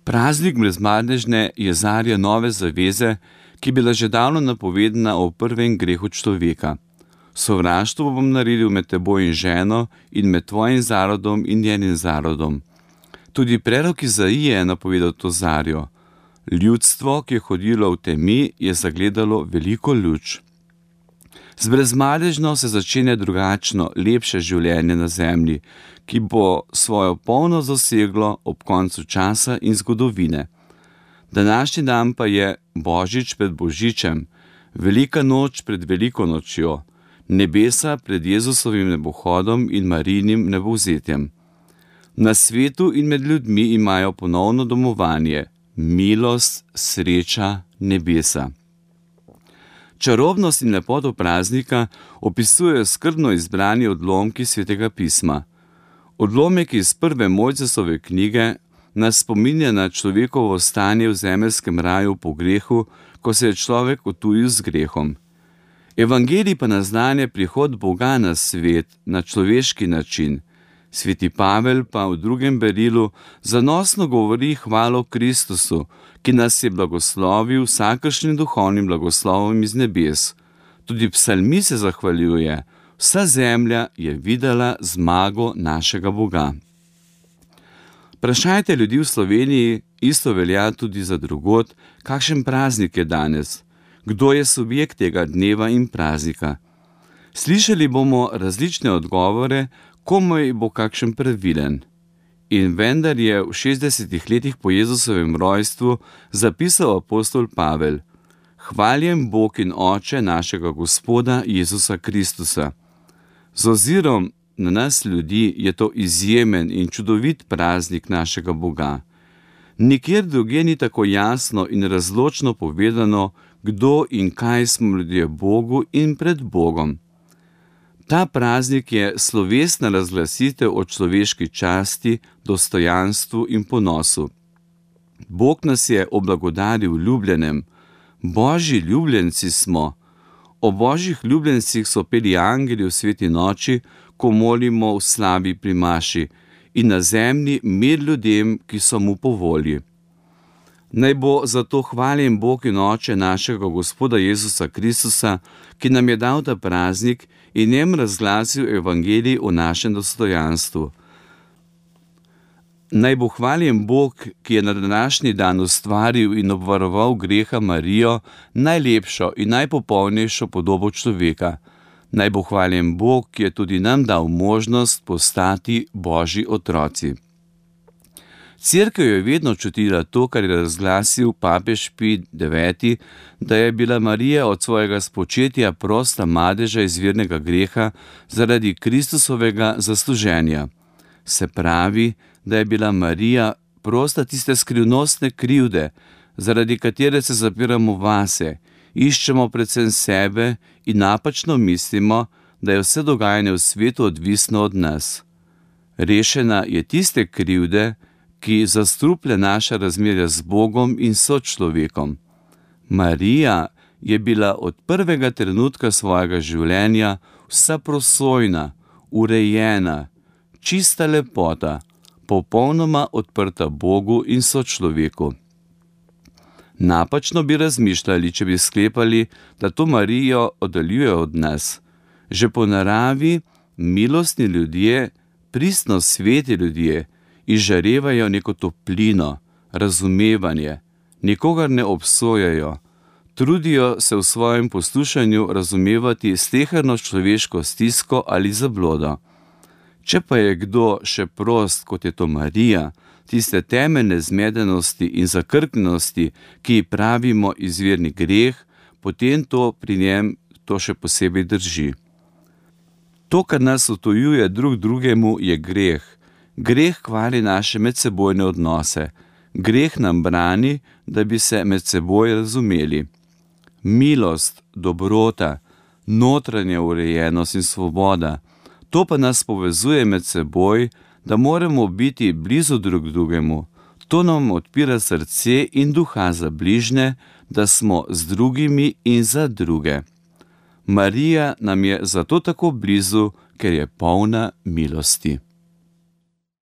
Praznik brezmadežne je zarja nove zaveze, ki je bila že davno napovedana o prvem grehu človeka. Sovraštvo bom naredil med teboj in ženo in med tvojim zarodom in njenim zarodom. Tudi prerok Izaije je napovedal to zarjo. Ljudstvo, ki je hodilo v temi, je zagledalo veliko luč. Z brezmadežno se začenja drugačno, lepše življenje na zemlji, ki bo svojo polno zaseglo ob koncu časa in zgodovine. Današnji dan pa je Božič pred Božičem, velika noč pred veliko nočjo, nebesa pred Jezusovim nebohodom in Marijinim nebovzetjem. Na svetu in med ljudmi imajo ponovno domovanje, milost, sreča, nebesa. Čarobnost in lepoto praznika opisujejo skrbno izbrani odlomki Svetega pisma. Odlomek iz prve Mojcesove knjige nas spominja na človekovo stanje v zemeljskem raju po grehu, ko se je človek otujil z grehom. Evangelij pa naznanja prihod Boga na svet na človeški način. Sveti Pavel pa v drugem berilu zanosno govori hvalo Kristusu, ki nas je blagoslovil vsakršnim duhovnim blagoslovom iz nebes. Tudi psalmi se zahvaljuje, vsa zemlja je videla zmago našega Boga. Vprašajte ljudi v Sloveniji, isto velja tudi za drugod, kakšen praznik je danes, kdo je subjekt tega dneva in praznika. Slišali bomo različne odgovore, komu bo kakšen pravilen. In vendar je v 60 letih po Jezusovem rojstvu zapisal apostol Pavel: Hvaljen Bog in Oče našega Gospoda Jezusa Kristusa. Z ozirom na nas ljudi je to izjemen in čudovit praznik našega Boga. Nikjer drugje ni tako jasno in razločno povedano, kdo in kaj smo ljudje Bogu in pred Bogom. Ta praznik je slovesna razglasitev o človeški časti, dostojanstvu in ponosu. Bog nas je oblagodaril v ljubljenem. Božji ljubljenci smo. O božjih ljubljencih so peli angeli v sveti noči, ko molimo v slavi pri maši, in na zemlji mir ljudem, ki so mu po volji. Naj bo zato hvaljen Bog in Oče našega Gospoda Jezusa Kristusa, ki nam je dal ta praznik in njem razglasil evangelij o našem dostojanstvu. Naj bo hvaljen Bog, ki je na današnji dan ustvaril in obvaroval greha Marijo, najlepšo in najpopolnejšo podobo človeka. Naj bo hvaljen Bog, ki je tudi nam dal možnost postati Božji otroci. Cerkev je vedno čutila to, kar je razglasil papež Pij IX., da je bila Marija od svojega spočetja prosta madeža izvirnega greha zaradi Kristusovega zasluženja. Se pravi, da je bila Marija prosta tiste skrivnostne krivde, zaradi katere se zapiramo vase, iščemo predvsem sebe in napačno mislimo, da je vse dogajanje v svetu odvisno od nas. Rešena je tiste krivde, ki zastruplja naša razmerja z Bogom in sočlovekom. Marija je bila od prvega trenutka svojega življenja vsa prosojna, urejena, čista lepota, popolnoma odprta Bogu in sočloveku. Napačno bi razmišljali, če bi sklepali, da to Marijo oddaljuje od nas. Že po naravi milostni ljudje, pristno sveti ljudje, izžarevajo neko toplino, razumevanje, nikogar ne obsojajo, trudijo se v svojem poslušanju razumevati sleherno človeško stisko ali zablodo. Če pa je kdo še prost, kot je to Marija, tiste temeljne zmedenosti in zakrknjenosti, ki ji pravimo izvirni greh, potem to pri njem to še posebej drži. To, kar nas odtujuje drug drugemu, je greh. Greh kvari naše medsebojne odnose. Greh nam brani, da bi se med seboj razumeli. Milost, dobrota, notranja urejenost in svoboda, to pa nas povezuje med seboj, da moramo biti blizu drug drugemu. To nam odpira srce in duha za bližnje, da smo z drugimi in za druge. Marija nam je zato tako blizu, ker je polna milosti.